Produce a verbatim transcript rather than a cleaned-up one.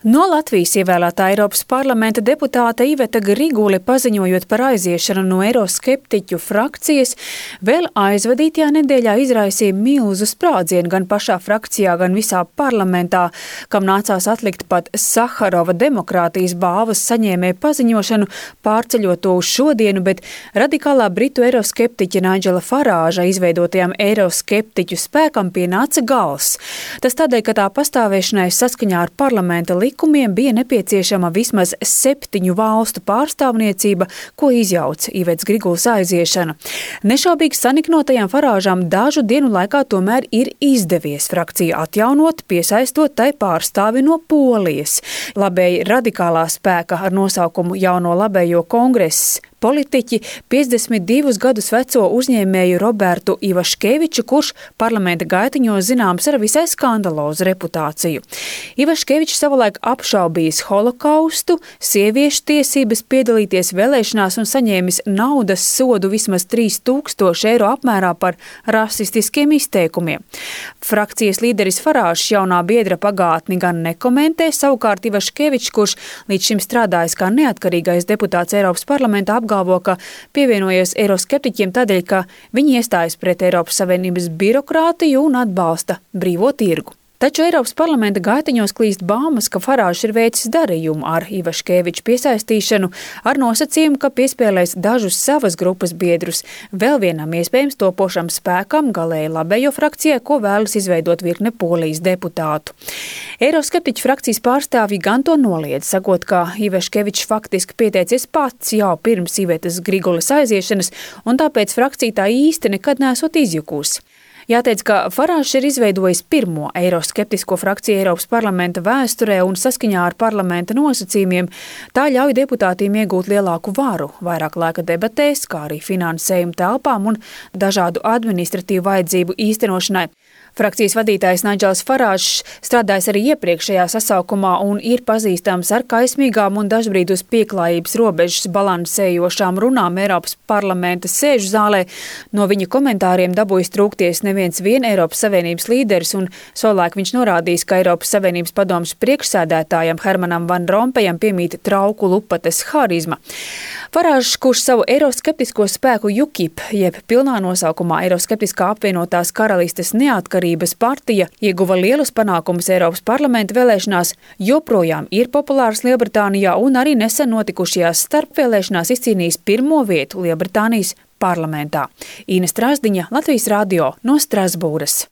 No Latvijas ievēlētā Eiropas parlamenta deputāte Iveta Grigule, paziņojot par aiziešanu no eiroskeptiķu frakcijas, vēl aizvadītajā nedēļā izraisīja milzu sprādzienu gan pašā frakcijā, gan visā parlamentā, kam nācās atlikt pat Saharova demokrātijas balvas saņēmēju paziņošanu, pārceļot to uz šodienu, bet radikālā britu eiroskeptiķa Nigela Farāža izveidotajam eiroskeptiķu spēkam pienāca gals. Tas tādēļ, ka tā pastāvēšanai saskaņā ar parlamenta likumiem bija nepieciešama vismaz septiņu valstu pārstāvniecība, ko izjauc Ivetas Grigules aiziešana. Nešaubīgi saniknotajām Farāžām dažu dienu laikā tomēr ir izdevies frakciju atjaunot, piesaistot tai pārstāvi no Polijas. Labēji radikālā spēka ar nosaukumu Jauno labējo kongress politiķi piecdesmit divus gadus veco uzņēmēju Robertu Ivaškeviču, kurš parlamenta gaitiņos zināms ar visai skandalozu reputāciju. Ivaškevičs savulaik apšaubījis holokaustu, sieviešu tiesības piedalīties vēlēšanās un saņēmis naudas sodu vismaz trīs tūkstoši eiro apmērā par rasistiskiem izteikumiem. Frakcijas līderis Farāžs jaunā biedra pagātni gan nekomentē, savukārt Ivaškevičs, kurš līdz šim strādājis kā neatkarīgais deputāts Eiropas parlamentā, apgalvo, ka pievienojies eiroskeptiķiem tādēļ, ka viņi iestājas pret Eiropas Savienības birokrātiju un atbalsta brīvo tirgu. Taču Eiropas parlamenta gaitiņos klīst baumas, ka Farāžs ir veicis darījumu ar Ivaškeviču piesaistīšanu ar nosacījumu, ka piespēlēs dažus savas grupas biedrus vēl vienam iespējams topošam spēkam galēji labējo frakcijai, ko vēlas izveidot virkne Polijas deputātu. Eiroskeptiķu frakcijas pārstāvji gan to noliedz, sakot, ka Ivaškevičs faktiski pieteicies pats jau pirms Ivetas Grigules aiziešanas, un tāpēc frakcija tā īsti nekad nesot izjukusi. Jāteic, ka Farāžs ir izveidojis pirmo eiroskeptisko frakciju Eiropas parlamenta vēsturē un saskaņā ar parlamenta nosacījumiem tā ļauj deputātiem iegūt lielāku varu, vairāk laika debatēs, kā arī finansējumu telpām un dažādu administratīvu vajadzību īstenošanai. Frakcijas vadītājs Nigels Farāžs strādājis arī iepriekšējā sasaukumā un ir pazīstams ar kaismīgām un dažbrīd uz pieklājības robežas balansējošām runām Eiropas parlamenta sēžu zālē. No viņa komentāriem dabūjis trūkties neviens vien Eiropas Savienības līderis, un savulaik viņš norādījis, ka Eiropas Savienības padomes priekšsēdētājam Hermanam Van Rompējam piemīt trauku lupates harizma. Farāžs, kurš savu eiroskeptisko spēku UKIP, jeb pilnā nosaukumā Eiroskeptiskā apvienotās karalistes neatkarības partija, ieguva lielus panākumus Eiropas parlamenta vēlēšanās, joprojām ir populārs Lielbritānijā un arī nesen notikušajās starpvēlēšanās izcīnījis pirmo vietu Lielbritānijas parlamentā. Īne Strasdiņa, Latvijas radio no Strasbūras.